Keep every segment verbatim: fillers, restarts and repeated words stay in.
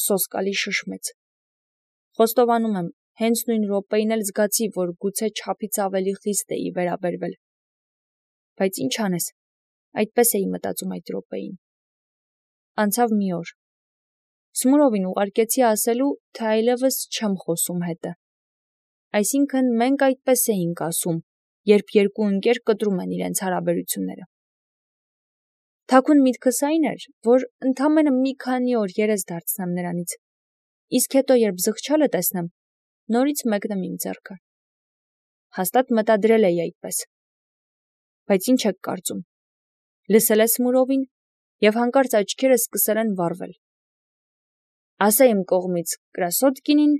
սոսկալի շշմեց։ Խոստովանում եմ, հենց նույն րոպեին էլ զգացի, որ գուցե չափից ավելի խիստ էի վերաբերվել։ Բայց ինչ անես, այդպես էի մտածում այդ րոպեին։ Անցավ մի օր։ Սմուրովին ուղարկեցի ասելու, թե այլևս չեմ խոսում հետը։ Այսինքն մենք այդպես էինք ասում, երբ երկու ընկեր կտրում են իրենց հարաբերությունները։ Թաքուն միտքս այն էր, որ ընդամենը մի քանի օր երես դարձնեմ նրանից, իսկ հետո երբ զղջալը տեսնեմ, նորից մեկնեմ իմ ձեռքը։ Հաստատ մտադրել էի այդպես։ Բայց ինչ եք կարծում։ Լսել է Սմուրովին, և հանկարծ աչքերը սկսել են վառվել։ Ասա իմ կողմից կրասոտկինին,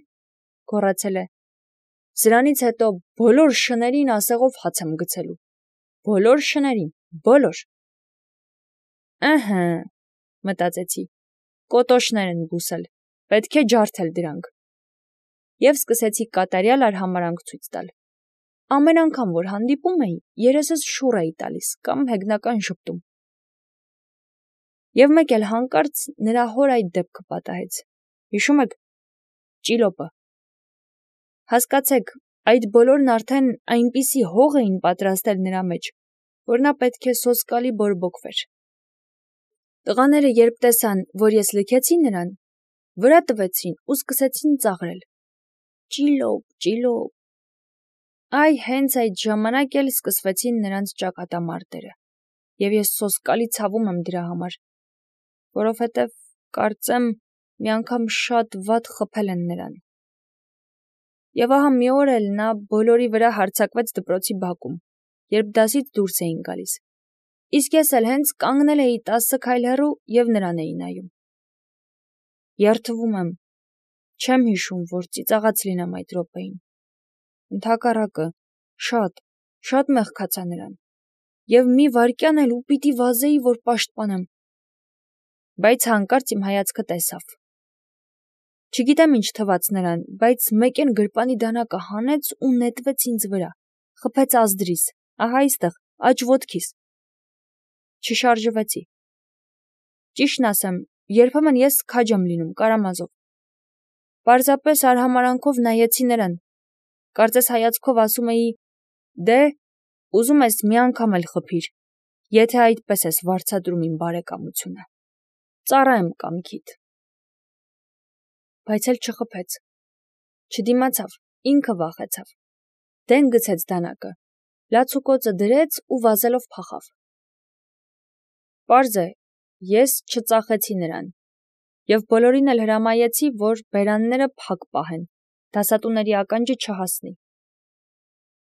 գոռացել է։ Սրանից հետո բոլոր շներին ասեղով հաց եմ գցելու։ Բոլոր շներին, բոլոր։ Ըհը, մտածեցի, կոտոշներ են բուսել, պետք է ջարդել դրանք։ Եվ սկսեցի կատարյալ արհամարհանք ցույց տալ։ Ամեն անգամ, որ հանդիպում էի, երեսս շուռ էի տալիս կամ հեգնական ժպտում։ Եվ մեկ էլ հանկարծ նրա հոր այդ դեպքը պատահեց։ Հիշում եք, ճիլոպը։ Հասկացեք, այդ բոլորն արդեն այնպիսի հող էին պատրաստել նրա մեջ, որ նա պետք է սոսկալի բորբոքվեր։ Տղաները երբ տեսան, որ ես լքեցի նրան, վրա տվեցին ու սկսեցին ծաղրել. Ճիլոպ, ճիլոպ։ Այ հենց այդ ժամանակ էլ սկսվեցին նրանց ճակատամարտերը, և ես սոսկալի ցավում եմ դրա համար, որովհետև, կարծեմ, մի անգամ շատ վատ խփել են նրան։ Եվ ահա մի օր էլ նա բոլորի վրա հարձակվեց դպրոցի բակում, երբ դասից դուրս էին գալիս, իսկ ես էլ հենց կանգնել էի տասը քայլ հեռու և նրան էի նայում։ Երդվում եմ, չեմ հիշում, որ ծիծաղած լինեմ այդ րոպեին։ Ընդհակառակը, շատ, շատ մեղքացա նրան, և մի վայրկյան էլ ու պիտի վազեի, որ պաշտպանեմ։ Բայց հանկարծ իմ հայացքը տեսավ։ Չգիտեմ ինչ թվաց նրան, բայց մեկեն գրպանի դանակը հանեց ու նետվեց ինձ վրա, խփեց ազդրիս, ահա այստեղ, աջ ոտքիս։ Չշարժվեցի։ Ճիշտն ասեմ, երբեմն ես քաջ եմ լինում Կարամազով։ Պարզապես արհամարհանքով նայեցի նրան, կարծես հայացքով ասում էի. դե, ուզում ես մի անգամ էլ խփիր, եթե այդպես ես վարձատրում իմ բարեկամությունը, ծառա եմ կամքիդ։ Բայց էլ չխփեց, չդիմացավ, ինքը վախեցավ, դեն գցեց դանակը, լացուկոցը դրեց ու վազելով փախավ։ Պարզ է, ես չծախեցի նրան, և բոլորին էլ հրամայեցի, որ բերանները փակ պահեն, դասատուների ականջը չհասնի։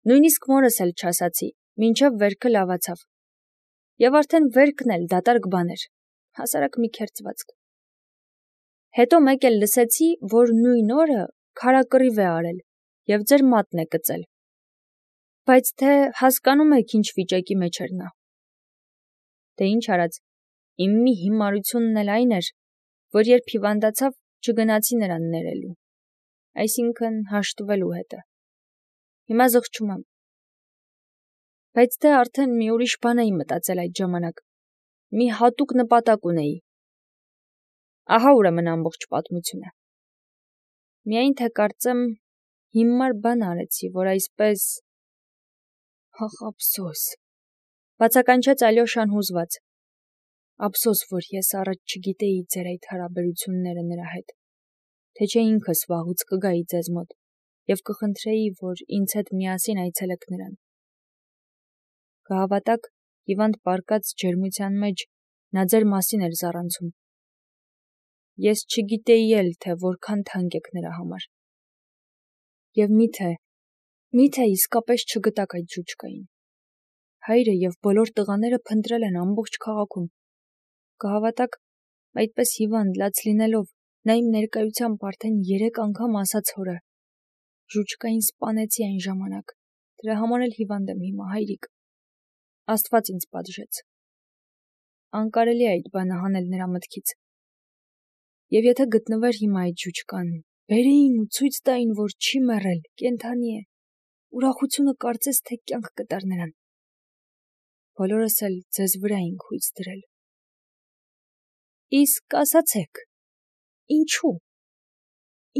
Նույնիսկ մորս էլ չասացի, մինչև վերքը լավացավ։ Եվ արդեն վերքն էլ դատարկ բան էր, հասարակ մի քերծվածք։ Հետո մեկ էլ լսեցի, որ նույն օրը քարակռիվ է արել և ձեր մատն է կծել։ Բայց թե հասկանում եք ինչ վիճակի մեջ էր նա։ Դե ինչ արած, իմ մի հիմարությունն էլ այն էր, որ երբ հիվանդացավ, չգնացի նրան ներելու, այսինքն հաշտվելու հետը։ Հիմա զղջում եմ։ Բայց դե արդեն մի ուրիշ բան էի մտածել այդ ժամանակ, մի հատուկ նպատակ ունեի։ Ահա ուրեմն ամբողջ պատմությունը։ Միայն թե կարծեմ հիմար բան արեցի, որ այսպես… Ահ, ափսոս, բացականչեց Ալյոշան հուզված։ Ափսոս, որ ես առաջ չգիտեի ձեր այդ հարաբերությունները նրա հետ, թե չէ ինքս վաղուց կգայի ձեզ մոտ և կխնդրեի, որ ինձ հետ միասին այցելեք նրան։ Կհավատաք, հիվանդ պառկած ջերմության մեջ նա ձեր մասին էր զառանցում։ Ես չգիտեի էլ, թե որքան թանկ եք նրա համար։ Եվ միթե, միթե իսկապես չգտաք այդ ժուճկային։ Հայրը և բոլոր տղաները փնտրել են ամբողջ քաղաքում։ Կհավատաք, այդպես հիվանդ լաց լինելով, նա իմ ներկայությամբ արդեն երեք անգամ ասաց հորը. ժուճկային սպանեցի այն ժամանակ, դրա համար էլ հիվանդ եմ հիմա, հայրիկ։ Աստված ինձ պատժեց։ Անկարելի է այդ բանը հանել նրա մտքից։ Եվ եթե գտնվեր հիմա այդ ժուճկան, բերեին ու ցույց տային, որ չի մեռել, կենդանի է, ուրախությունը կարծես թե կյանք կտար նրան։ Բոլորս էլ ձեզ վրա ենք հույս դրել։ Իսկ ասացեք, ինչու՞։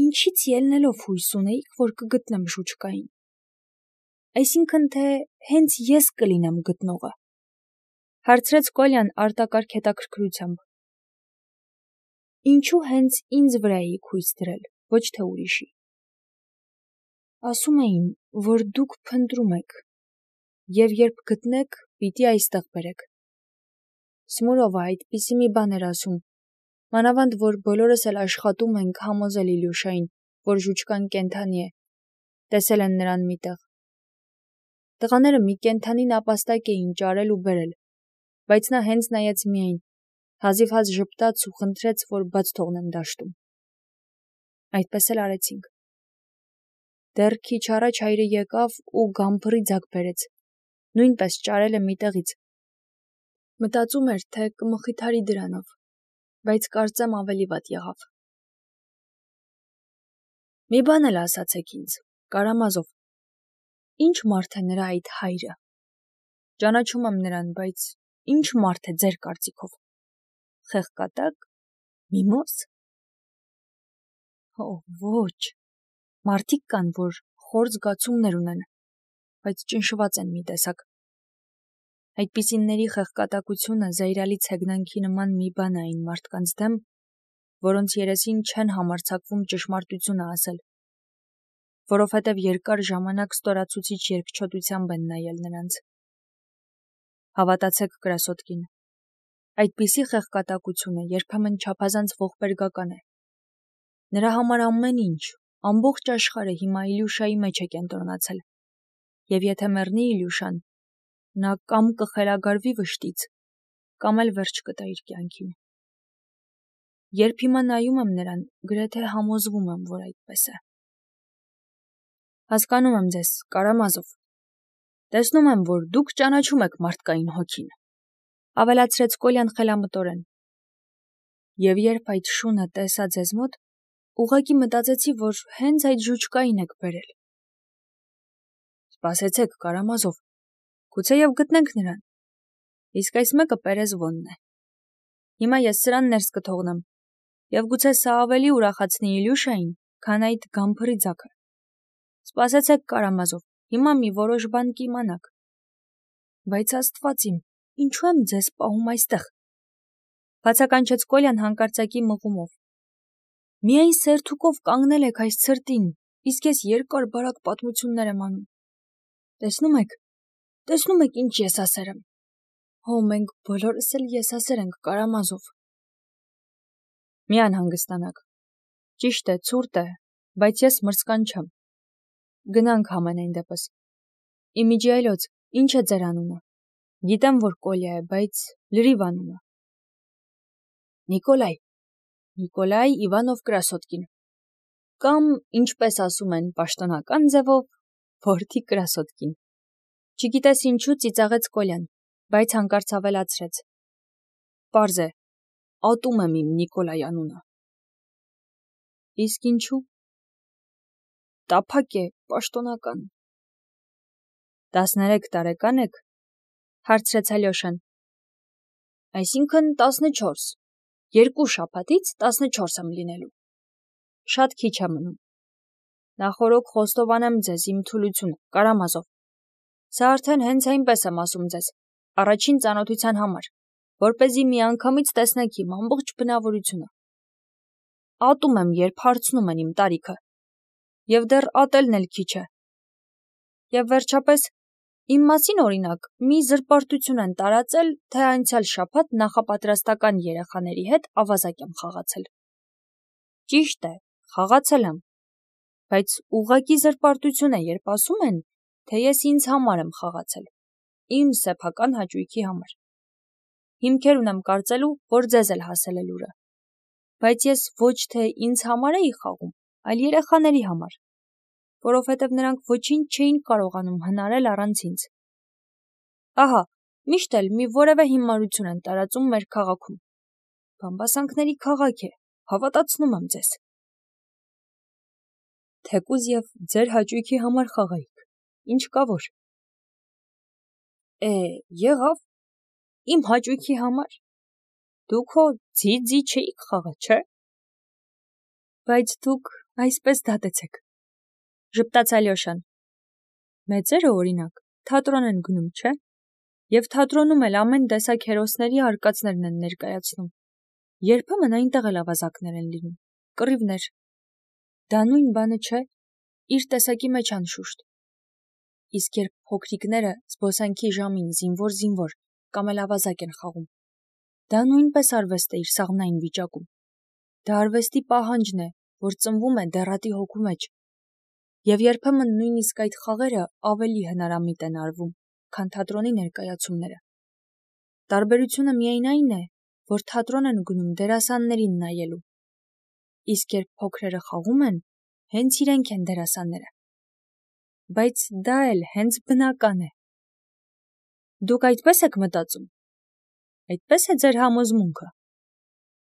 ինչից ելնելով հույս ունեիք, որ կգտնեմ ժուչկային։ Այսինքն թե հենց ես կլինեմ գտնողը։ Հարցրեց Կոլյան արտակարգ հետաքրքրությամբ։ Ինչու հենց ինձ վրա էիք հույս դրել, ոչ թե ուրիշի։ Ասում էին, որ դուք փնտրում եք, եւ երբ գտնեք, պիտի այստեղ բերեք։ Սմուրովը այդպիսի մի բան էր ասում, մանավանդ որ բոլորս էլ աշխատում ենք համոզել Իլյուշային, որ ժուչկան կենդանի է, տեսել են նրան միտեղ։ Տղաները մի կենդանի նապաստակ էին ճարել ու բերել, բայց նա հենց նայեց միայն, հազիվ-հազ ժպտաց ու խնդրեց, որ բաց թողնեն դաշտում։ Այդպես էլ արեցինք։ Դեռ քիչ առաջ հայրը եկավ ու գամփրի ձագ բերեց, նույնպես ճարել է միտեղից։ Մտածում էր, թե կմխիթարի դրանով, բայց կարծեմ ավելի վատ եղավ։ Մի բան էլ ասացեք ինձ, Կարամազով, ինչ մարդ է նրա այդ հայրը։ Ճանաչում եմ նրան, բայց ինչ մարդ է ձեր կարծիքով։ Խեղկատակ, միմոզ։ Օ, ոչ։ Մարդիկ կան, որ խոր զգացումներ ունեն, բայց ճնշված են մի տեսակ։ Այդպիսինների խեղկատակությունը զայրալից հեգնանքի նման մի բան է այն մարդկանց դեմ, որոնց երեսին չեն համարձակվում ճշմարտությունը ասել, որովհետև երկար ժամանակ ստորացուցիչ երկչոտությամբ են նայել նրանց։ Հավատացեք կրասոտկին, այդպիսի խեղկատակությունը երբեմն չափազանց ողբերգական է։ Նրա համար ամեն ինչ, ամբողջ աշխարհը հիմա Իլյուշայի մեջ է կենտրոնացել, եւ եթե մեռնի Իլյուշան, նա կամ կխելագարվի վշտից, կամ էլ վերջ կտա իր կյանքին։ Երբ հիմա նայում եմ նրան, գրեթե համոզվում եմ, որ այդպես է։ Հասկանում եմ ձեզ, Կարամազով։ Տեսնում եմ, որ դուք ճանաչում եք մարդկային հոգին, ավելացրեց Կոլյան խելամտորեն։ Եվ երբ այդ շունը տեսա ձեզ մոտ, ուղղակի մտածեցի, որ հենց այդ ժուչկային եք բերել։ Սպասեցեք, Կարամազով, գուցեև գտնենք նրան։ Իսկ այս մեկը Պերեզվոնն է։ Հիմա ես սրան ներս կթողնեմ, եւ գուցե սա ավելի ուրախացնի Իլյուշային, քան այդ գամփրի ձագը։ Սպասեցեք, Կարամազով, հիմա մի որոշ բան կիմանաք։ Բայց Աստված իմ, ինչու եմ ձեզ պահում այստեղ։ Բացականչեց Կոլյան հանկարծակի մղումով։ Միայն սերթուկով կանգնել եք այս ցրտին, իսկ ես երկար բարակ պատմություններ եմ անում։ Տեսնում եք, տեսնում եք ինչ եսասեր եմ։ Հո մենք բոլորս էլ եսասեր ենք, Կարամազով։ Մի անհանգստանաք։ Ճիշտ է, ցուրտ է, բայց ես մրցկան չեմ։ Գնանք համենայն դեպս։ Իմիջիայլոց, ինչ է ձեր անունը։ Գիտեմ, որ Կոլյա է, բայց լրիվ անունը։ Նիկոլայ։ Նիկոլայ Իվանով Կրասոտկին։ Կամ, ինչպես ասում են պաշտոնական ձևով, որդի Կրասոտկին։ Չգիտես ինչու ծիծաղեց Կոլյան, բայց հանկարծ ավելացրեց. Պարզ է, ատում եմ իմ Նիկոլայ անունը։ Իսկ ինչու։ Տափակ է, պաշտոնական։ Տասներեք տարեկան եք, հարցրեց Ալյոշան։ Այսինքն տասնչորս, երկու շաբաթից տասնչորս եմ լինելու։ Շատ քիչ է մնում։ Նախորոք խոստովանեմ ձեզ իմ թուլությունը, Կարամազով։ Սա արդեն հենց այնպես եմ ասում ձեզ, առաջին ծանոթության համար, որպեսզի միանգամից տեսնեք իմ ամբողջ բնավորությունը։ Ատում եմ, երբ հարցնում են իմ տարիքը, եւ դեռ ատելն էլ քիչ է։ Եվ վերջապես, իմ մասին օրինակ, մի զրպարտություն են տարածել, թե անցյալ շաբաթ նախապատրաստական երեխաների հետ ավազակ եմ խաղացել։ Ճիշտ է, խաղացել եմ, բայց ուղղակի զրպարտություն է, երբ ասում են, թե ես ինձ համար եմ խաղացել, իմ սեփական հաճույքի համար։ Հիմքեր ունեմ կարծելու, որ ձեզ էլ հասել է լուրը, բայց ես ոչ թե ինձ համար էի խաղում, այլ երեխաների համար, որովհետև նրանք ոչինչ չէին կարողանում հնարել առանց ինձ։ Ահա, միշտ էլ մի որևէ հիմարություն են տարածում մեր քաղաքում։ Բամբասանքների քաղաք է, հավատացնում եմ ձեզ։ Թեկուզ եւ ձեր հաճույքի համար խաղայիք, ինչ կա որ։ Է, եղավ, իմ հաճույքի համար։ Դուք հո ձի-ձի չէիք խաղա, չէ։ Բայց դուք Այսպես դատեցեք, ժպտաց Ալյոշան։ Մեծերը օրինակ թատրոն են գնում, չէ՞։ Եվ թատրոնում էլ ամեն տեսակ հերոսների արկածներն են ներկայացնում։ Երբեմն այնտեղ էլ ավազակներ են լինում, կռիվներ։ Դա նույն բանը չէ, իր տեսակի մեջ անշուշտ։ Իսկ երբ փոքրիկները զբոսանքի ժամին զինվոր-զինվոր կամ էլ ավազակ են խաղում, դա նույնպես արվեստ է իր սաղմնային վիճակում։ Դա արվեստի պահանջն է, որ ծնվում է դեռատի հոգու մեջ։ Եվ երբեմն նույնիսկ այդ խաղերը ավելի հնարամիտ են արվում, քան թատրոնի ներկայացումները։ Տարբերությունը միայն այն է, որ թատրոն են գնում դերասաններին նայելու։ Իսկ երբ փոքրերը խաղում են, հենց իրենք են դերասանները։ Բայց դա էլ հենց բնական է։ Դուք այդպես եք մտածում։ Այդպես է ձեր համոզմունքը։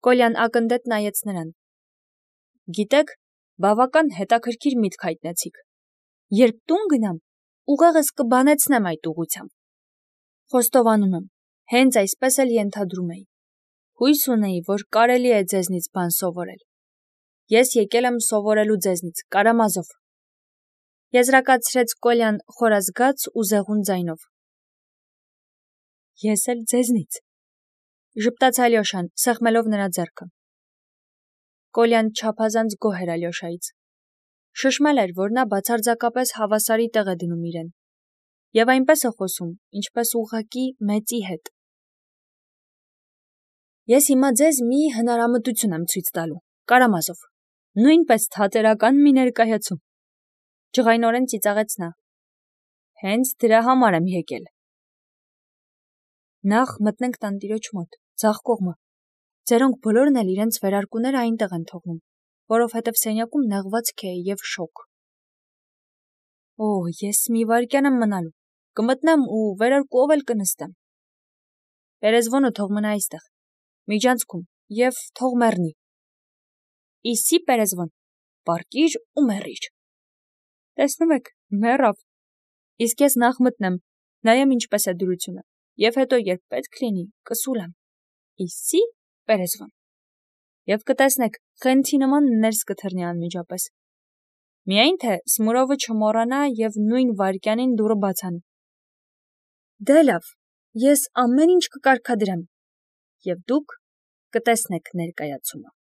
Կոլյան ակնդետ նայեց նրան։ Գիտեք, բավական հետաքրքիր միտք հայտնեցիք։ Երբ տուն գնամ, ուղեղս կբանեցնեմ այդ ուղղությամբ։ Խոստովանում եմ, հենց այսպես էլ ենթադրում էի։ Հույս ունեի, որ կարելի է ձեզնից բան սովորել։ Ես եկել եմ սովորելու ձեզնից, Կարամազով։ Եզրակացրեց Կոլյան խորազգաց ու զեղուն ձայնով։ Ես էլ ձեզնից, ժպտաց Ալյոշան, սեղմելով նրա ձեռքը։ Կոլյան չափազանց գոհ էր Ալյոշայից։ Շշմել էր, որ նա բացարձակապես հավասարի տեղ է դնում իրեն։ Եվ այնպես է խոսում, ինչպես ուղղակի մեծի հետ։ Ես հիմա ձեզ մի հնարամտություն եմ ցույց տալու, Կարամազով, նույնպես թատերական մի ներկայացում։ Ջղայնորեն ծիծաղեց նա։ Հենց դրա համար եմ եկել։ Նախ մտնենք տանտիրոջ մոտ, ձախ կողմը։ Ձերոնք բոլորն էլ իրենց վերարկուները այնտեղ են թողնում, որովհետև սենյակում նեղվածք է և շոգ։ Օ, ես մի վայրկյան եմ մնալու, կմտնեմ ու վերարկուով էլ կնստեմ։ Պերեզվոնը թող մնա այստեղ, միջանցքում, և թող մեռնի։ Իսի Պերեզվոն, պարկիր ու մեռիր։ Տեսնում եք, մեռավ։ Իսկ ես նախ մտնեմ, նայեմ ինչպես է դրությունը, և հետո երբ պետք լինի, կսուլեմ։ Իսի Պերեզվոն։ Եվ կտեսնեք, խենթի նման ներս կթռնի անմիջապես։ Միայն թե Սմուրովը չմոռանա և նույն վայրկյանին դուռը բաց անի։ Դե լավ, ես ամեն ինչ կկարգադրեմ, և դուք կտեսնեք ներկայացումը։